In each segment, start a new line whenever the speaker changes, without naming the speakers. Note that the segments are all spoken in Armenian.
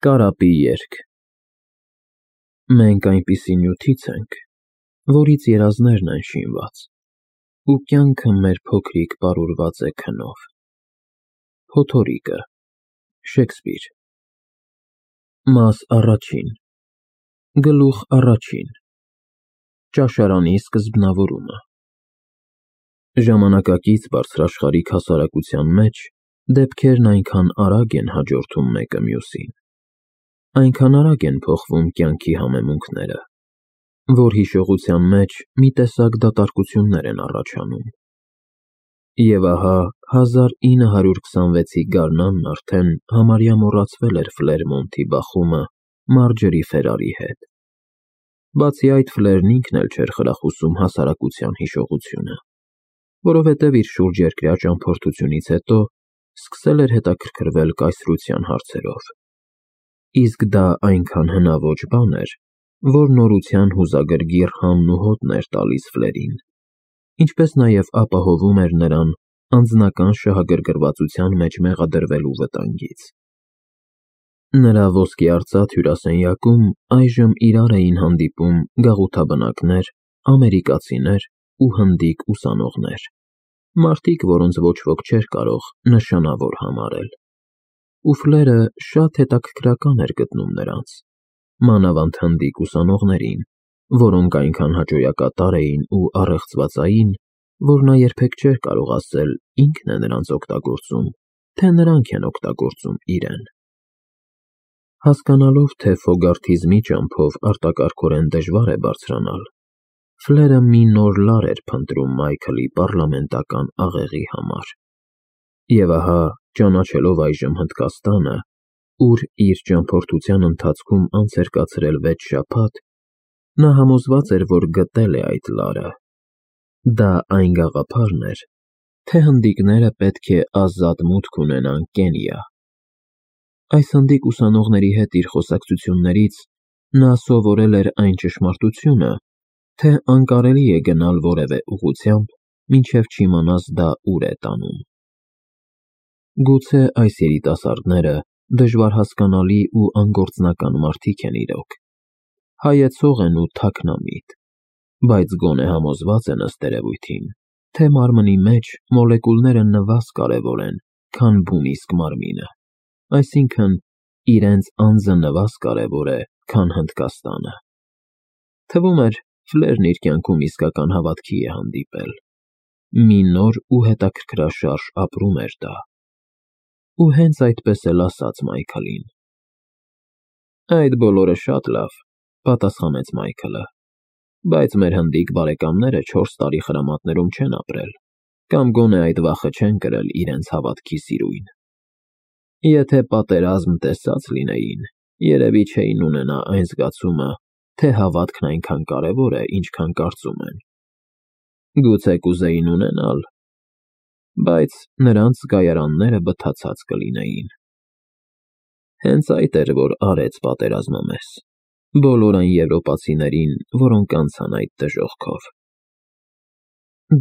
Կարապի երգ։ Մենք այնպիսի նյութից ենք, որից երազներն են շինված, ու կյանքը մեր փոքրիկ պարուրված է քնով։ Փոթորիկը, Շեքսպիր։ Մաս առաջին, գլուխ առաջին, ճաշարանի սկզբնավորումը։ Ժամանակակից բարձրաշխարհիկ հասարակության մեջ դեպքերն այնքան արագ են հաջորդում մեկը մյուսին, այնքան արագ են փոխվում կյանքի համեմունքները, որ հիշողության մեջ մի տեսակ դատարկություններ են առաջանում։ Եվ ահա 1926-ի գարնանն արդեն համարյա մոռացվել էր Ֆլերմոնտի բախումը Մարջերի Ֆերարի հետ։ Բացի այդ, Ֆլերն ինքն էլ չէր խրախուսում հասարակության հիշողությունը, որովհետև իր շուրջերկրյա ճամփորդությունից հետո սկսել էր հետաքրքրվել կայսրության հարցերով։ Իսկ դա այնքան հնաոճ բան էր, որ նորության հուզագրգիռ հանն ու հոտն էր տալիս Ֆլերին, ինչպես նաև ապահովում էր նրան անձնական շահագրգռվածության մեջ մեղադրվելու վտանգից։ Նրա ոսկեարծաթ հյուրասենյակում այժմ իրար էին հանդիպում գաղութաբնակներ, ամերիկացիներ ու հնդիկ ուսանողներ, մարդիկ, որոնց ոչ ոք չէր կարող նշանավոր համարել։ Ու Ֆլերը շատ հետաքրքրական էր գտնում նրանց, մանավանդ հնդիկ ուսանողներին, որոնք այնքան հաճոյակատար էին ու առեղծվածային, որ նա երբեք չէր կարող ասել ինքն է նրանց օգտագործում, թե նրանք են օգտագործում իրեն։ Հասկանալով, թե ֆոգարթիզմի ճամփով արտակարգորեն դժվար է բարձրանալ, Ֆլերը մի նոր լար էր փնտրում Մայքլի պառլամենտական աղեղի համար։ Եվ ահա, ճանաչելով այժմ Հնդկաստանը, ուր իր ճամփորդության ընթացքում անց էր կացրել 6 շաբաթ, նա համոզված էր, որ գտել է այդ լարը։ Դա այն գաղափարն էր, թե հնդիկները պետք է ազատ մուտք ունենան Կենիա։ Այս հնդիկ ուսանողների հետ իր խոսակցություններից նա սովորել էր այն ճշմարտությունը, թե անկարելի է գնալ որևէ ուղղությամբ, մինչև չիմանաս դա ուր է տանում։ Գուցե այս երիտասարդները դժվար հասկանալի ու անգործնական մարդիկ են իրոք, հայեցող են ու թաքնամիտ, բայց գոնե համոզված են ըստ երևույթին, թե մարմնի մեջ մոլեկուլները նվազ կարևոր են, քան բունիսկ մարմինը, այսինքն իրենց անձը նվազ կարևոր է, քան Հնդկաստանը։ Թվում էր, Ֆլերն իր կյանքում իսկական հավատքի է հանդիպել։ Մի նոր ու հետաքրքրաշարժ ապրում էր դա։ Ու հենց այդպես էլ ասաց Մայքլին։ Այդ բոլորը շատ լավ, պատասխանեց Մայքլը, բայց մեր հնդիկ բարեկամները 4 տարի խրամատներում չեն ապրել, կամ գոնե այդ վախը չեն կրել իրենց հավատքի սիրույն։ Եթե պատերազմ տեսած լինեին, երևի չէին ունենա այն զգացումը, թե հավատքն այնքան կարևոր է, ինչքան կարծում են։ Գուցե կուզեին ունենալ, բայց նրանց զգայարանները բթացած կլինեին։ Հենց այդ էր, որ արեց պատերազմը մեզ, բոլոր այն եվրոպացիներին, որոնք անցան այդ դժոխքով։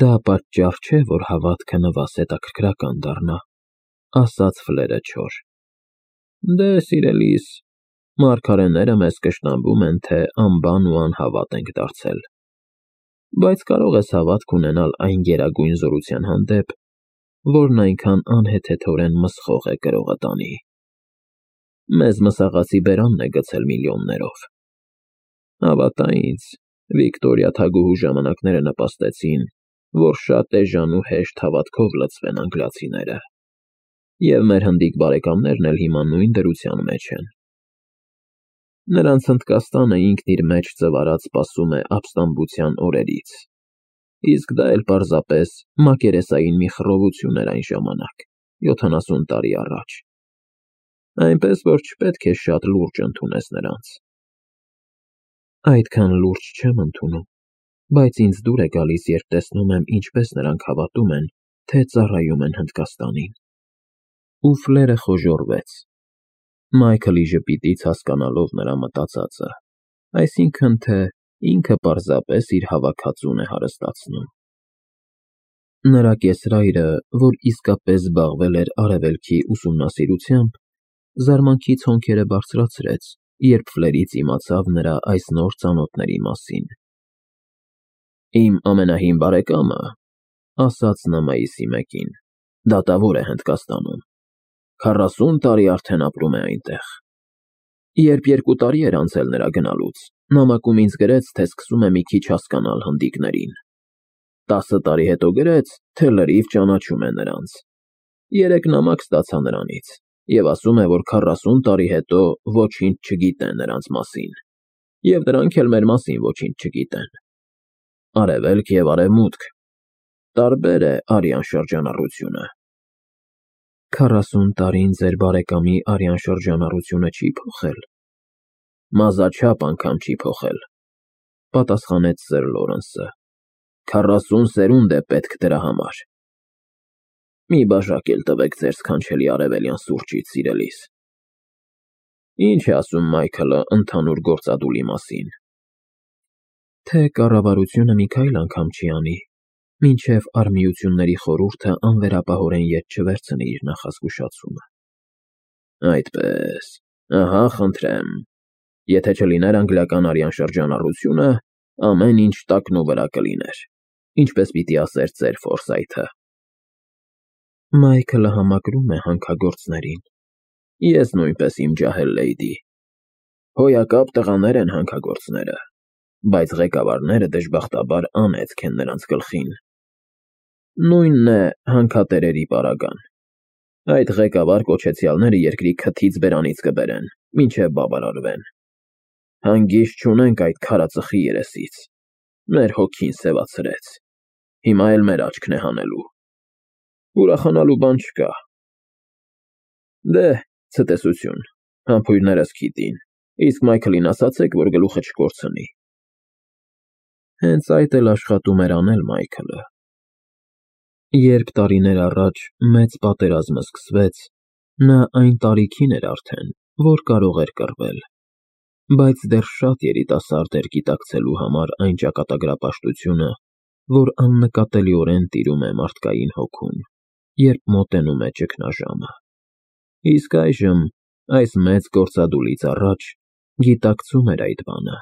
Դա պատճառ չէ, որ հավատքը նվազ հետաքրքրական դառնա, ասաց Ֆլերը չոր։ Դե, սիրելիս, մարգարեները մեզ կշտամբում են, թե անբան ու անհավատ ենք դարձել, բայց կարող ես հավատք ունենալ այն գերագույն զորության հանդեպ, որն այնքան անհեթեթորեն մսխող է կրողը տանի։ Մեզ մսաղացի բերանն է գցել միլիոններով։ Հավատա ինձ, Վիկտորիա թագուհու ժամանակները նպաստեցին, որ շատ էժան ու հեշտ հավատքով լցվեն անգլիացիները, և մեր հնդիկ բարեկամներն էլ հիմա նույն դրության մեջ են։ Նրանց Հնդկաստանը ինքն իր մեջ ծվարած սպասում է ապստամբության օրերից, իսկ դա էլ պարզապես մակերեսային մի խռովություն էր այն ժամանակ, 70 տարի առաջ։ Այնպես, որ չպետք է շատ լուրջ ընդունես նրանց։ Այդքան լուրջ չեմ ընդունում, բայց ինձ դուր է գալիս, երբ տեսնում եմ, ինչպես նրանք հավատում են, թե ծառայում են Հնդկաստանին։ Ու Ֆլերը խոժոռվեց, Մայքլի ժպիտից հասկանալով նրա մտածածը, այսինքն, թե ինքը պարզապես իր հավաքածուն է հարստացնում։ Նրա կեսրայրը, որ իսկապես զբաղվել էր արևելքի ուսումնասիրությամբ, զարմանքից հոնքերը բարձրացրեց, երբ Ֆլերից իմացավ նրա այս նոր ծանոթների մասին։ Իմ ամենահին բարեկամը, ասաց նա մայիսի 1-ին, դատավոր է Հնդկաստանում, 40 տարի արդեն ապրում է այնտեղ։ Երբ 2 տարի էր անցել նրա գնալուց, նամակում ինձ գրեց, թե սկսում է մի քիչ հասկանալ հնդիկներին։ 10 տարի հետո գրեց, թե լրիվ ճանաչում է նրանց։ 3 նամակ ստացա նրանից և ասում է, որ 40 տարի հետո ոչինչ չգիտե նրանց մասին, և նրանք էլ մեր մասին ոչինչ չգիտեն։ Արևելք և արևմուտք, տարբեր է արյան շրջանառությունը։ 40 տարին ձեր բարեկամի արյան շրջանառությունը չի փոխել։ Մազաչափ անգամ չի փոխել, պատասխանեց սըր Լորենսը։ 40 սերունդ է պետք դրա համար։ Մի բաժակ էլ տվեք ձեր սքանչելի արևելյան սուրճից, սիրելիս։ Ինչ է ասում Մայքլը ընդհանուր գործադուլի մասին։ Թե կառավարությունը մի քայլ անգամ չի անի, մինչև Արմիությունների խորհուրդը անվերապահորեն ետ չվերցնի իր նախազգուշացումը։ Այդպես, ահա, խնդրեմ, եթե չլիներ անգլիական արյան շրջանառությունը, ամեն ինչ տակնու վրա կլիներ, ինչպես պիտի ասեր ծեր Ֆորսայթը։ Մայքլը համակրում է հանքագործներին։ Ես նույնպես իմ ջահել լեյդի։ Հոյակապ տղաներ են հանքագործները, բայց ղեկավարները դժբախտաբար անեծք են նրանց գլխին։ Նույնն է հանքատերերի պարագան։ Այդ ղեկավար կոչեցյալները երկրի քթից բերանից կբերեն, մինչև բավարարվեն։ Հանգիստ չունենք այդ քարածխի երեսից։ Մեր հոգին սևացրեց։ Հիմա էլ մեր աչքն է հանելու։ Ուրախանալու բան չկա։ Դե, ցտեսություն, համբույրներս քիթին, իսկ Մայքլին ասացեք, որ գլուխը չկորցնի։ Հենց այդ էլ աշխատում էր անել Մայքլը։ Երբ տարիներ առաջ մեծ պատերազմը սկսվեց, նա այն տարիքին էր արդեն, որ կարող էր կռվել, բայց դեռ շատ երիտասարդ էր գիտակցելու համար այն ճակատագրապաշտությունը, որ աննկատելիորեն տիրում է մարդկային հոգուն, երբ մոտենում է ճգնաժամը։ Իսկ այժմ, այս մեծ գործադուլից առաջ, գիտակցում էր այդ բանը,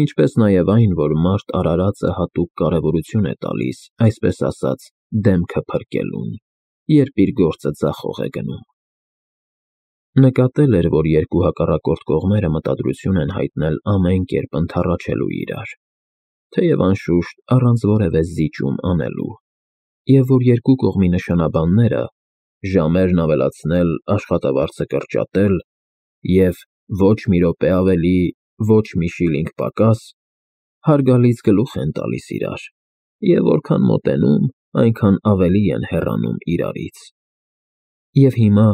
ինչպես նաև այն, որ մարդ արարածը հատուկ կարևորություն է տալիս, այսպես ասած, դեմքը փրկելուն, երբ իր գործը ձախող է գնում։ Նկատել էր, որ երկու հակառակորդ կողմերը մտադրություն են հայտնել ամեն կերպ ընդառաջելու իրար, թեև անշուշտ առանց որևէ զիջում անելու, և որ երկու կողմի նշանաբանները ժամերն ավելացնել, աշխատավարձը կրճատել և ոչ մի րոպե ավելի, ոչ մի շիլինգ պակաս, հարգալից գլուխ են տալիս իրար, և որքան մոտենում, այնքան ավելի են հեռանում իրարից։ Եվ հիմա,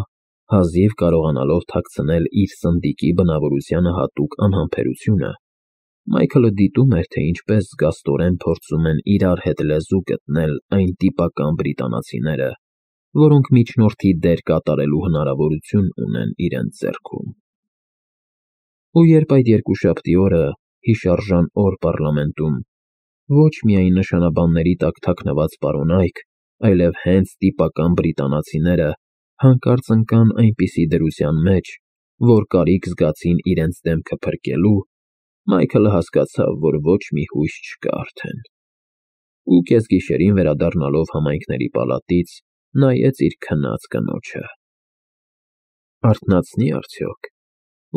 հազիվ կարողանալով թաքցնել իր սնդիկի բնավորությանը հատուկ անհամբերությունը, Մայքլը դիտում էր, թե ինչպես զգաստորեն փորձում են իրար հետ լեզու գտնել այն տիպական բրիտանացիները, որոնք միջնորդի դեր կատարելու հնարավորություն ունեն իրենց ձեռքում։ Ու երբ այդ երկուշաբթի օրը, հիշարժան օր պառլամենտում, ոչ միայն նշանաբանների տակ թաքնված պարոնայք, այլև հենց տիպական բրիտանացիները հանկարծ ընկան այնպիսի դրության մեջ, որ կարիք զգացին իրենց դեմքը փրկելու, Մայքլը հասկացավ, որ ոչ մի հույս չկա արդեն։ Ու կեսգիշերին վերադառնալով համայնքների պալատից, նայեց իր քնած կնոջը։ Արթնացնի՞ արդյոք,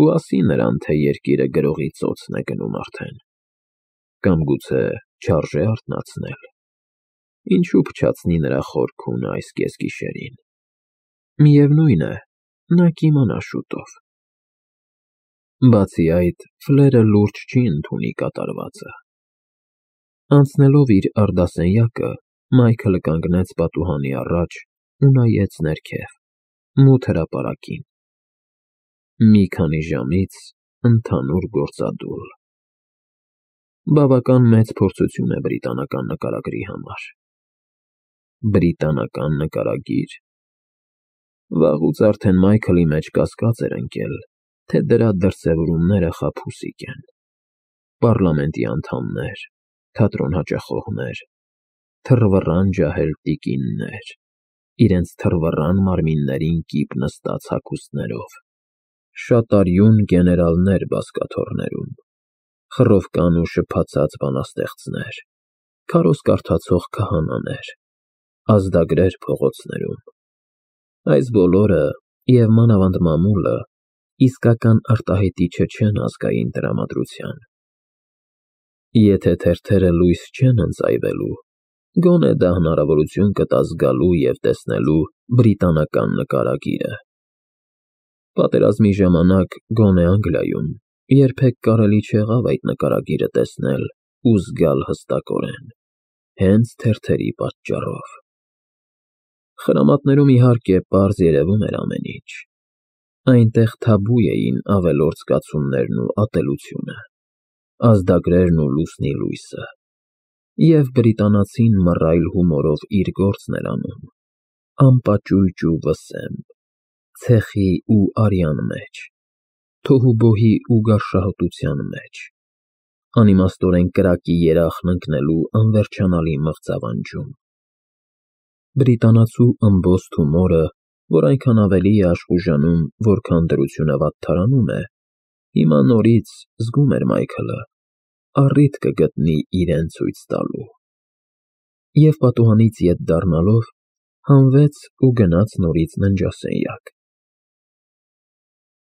ու ասի նրան, թե երկիրը գրողի ծոցն է գնում արդեն։ Կամ գուցե չարժե արթնացնել։ Ինչու փչացնի նրա խորքունը այս կեսգիշերին։ Միևնույն է, նա կիմանա շուտով։ Բացի այդ, Ֆլերը լուրջ չի ընդունի կատարվածը։ Անցնելով իր արդասենյակը, Մայքլը կանգնեց պատուհանի առաջ ու նայեց ներքև, մութ հրապարակին։ Մի քանի ժամից ընդհանուր գործադուլ։ Բավական մեծ փորձություն է բրիտանական նկարագրի համար։ Բրիտանական նկարագիր։ Վաղուց արդեն Մայքլի մեջ կասկած էր ընկել, թե դրա դրսևորումները խաբուսիկ են։ Պառլամենտի անդամներ, թատրոն հաճախողներ, թռվռան ջահել տիկիններ, իրենց թռվռան մարմիններին կիպ նստած հագուստներով, Շատ արյուն գեներալներ բազկաթոռներում, խռովկան ու շփացած բանաստեղծներ, քարոզ կարդացող քահանաներ, ազդագրեր փողոցներում։ Այս բոլորը, և մանավանդ մամուլը, իսկական արտահայտիչը չեն ազգային տրամադրության։ Եթե թերթերը լույս չեն ընծայվելու, գոնե դա հնարավորություն կտա զգալու և տեսնելու բրիտանական նկարագիրը։ Պատերազմի ժամանակ գոնե Անգլիայում երբեք կարելի չեղավ այդ նկարագիրը տեսնել ու զգալ հստակորեն, հենց թերթերի պատճառով։ Խրամատներում, իհարկե, պարզ երևում էր ամեն ինչ։ Այնտեղ թաբու էին ավելորդ զգացումներն ու ատելությունը, ազդագրերն ու լուսնի լույսը, և բրիտանացին մռայլ հումորով իր գործն էր անում, անպաճույճ ու վսեմ, ցեխի ու արյան մեջ, թոհուբոհի ու գարշահոտության մեջ, անիմաստորեն կրակի երախն ընկնելու անվերջանալի մղձավանջում։ Բրիտանացու ըմբոստ հումորը, որ այնքան ավելի է աշխուժանում, որքան դրությունը վատթարանում է, հիմա նորից, զգում էր Մայքլը, առիթ կգտնի իրեն ցույց տալու։ Եվ պատուհանից ետ դառնալով, հանվեց ու գնաց նորից ննջասենյակ։